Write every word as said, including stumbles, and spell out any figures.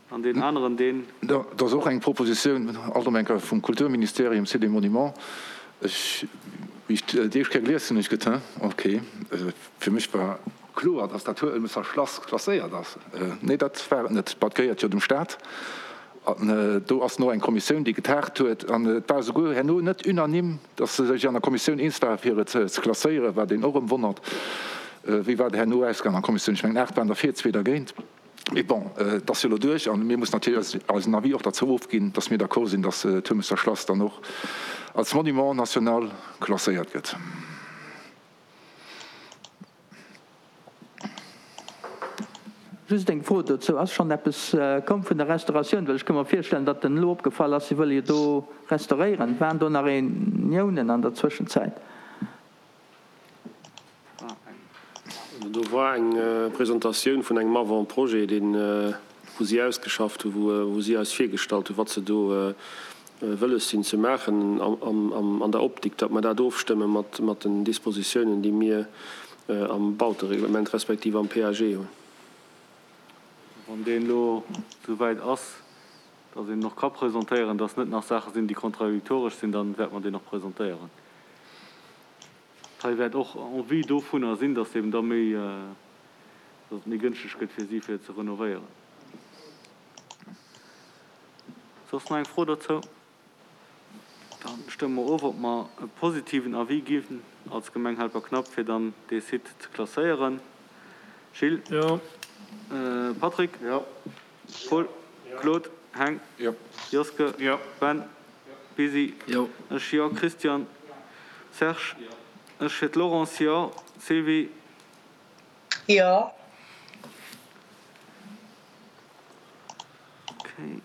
An deen aneren, deen. Dat ass och eng Propositioun, alt erëm eng Kéier vum Kulturministerium, Site des Monuments. Ech, wéi ech déi éischt Kéier gelies hunn, hunn ech geduet, Hein, okay. Fir mech war kloer, dass dat Huelmesser Schlass klasséiert ass. Nee, dat war et net. Bah, et gehéiert jo dem Staat. An do ass no eng Kommissioun, déi getagt huet. An et war esouguer herno net unanime, dass se sech an der Kommissioun eens ware fir et ze klasséieren, wat een och erëm wonnert. Wéi war et herno ausgaangen an der Kommissioun? Ech mengen, aacht waren derfir, zwee dergéint. Mee bon, et ass jo elo duerch a mir mussen natierlech eisen Avis och derzou ofginn, dass mir d'accord sinn, dass d'Huemesser Schlass dann och als Monument national klasséiert gëtt. Just eng Fro dozou, Ass schonn eppes komm vun der Restauratioun? Well ech ka mer virstellen, datt den elo opgefall ass, si wëlle jo do restauréieren. Waren do nach Reuniounen an der Zwëschenzäit? Do war eng Presentatioun vun engem Avant-projet, deen, wou si ausgeschafft hunn, wou si eis virgestallt hunn, wat se do wëlles sinn ze maachen an der Optik, datt mer dat ofstëmme mat den Dispositiounen, déi mir am Bautereglement respektiv am PAG hunn. Wann deen elo esouwäit ass, datt een en och ka presentéieren, datt net nach Saache sinn, déi kontradiktoresch sinn, da wäerte mer deen och presentéieren. Hei wäert och en vue dovunner sinn, dass eben da méi, dass et méi gënschteg gëtt fir si fir ze renovéieren. Soss nach eng Fro dozou? Da stëmme mer of, ob mer e positiven Avis ginn als Gemeng Helperknapp, fir dann dee Site ze klasséieren. Gilles? Jo. Patrick? Jo. Paul? Claude? Heng? Jo. Joske? Jo. Ben? Busy? Jo. Ech, Jo. Christian? Serge? Ech fir d'Laurence, jo. Sylvie? Jo. Okay.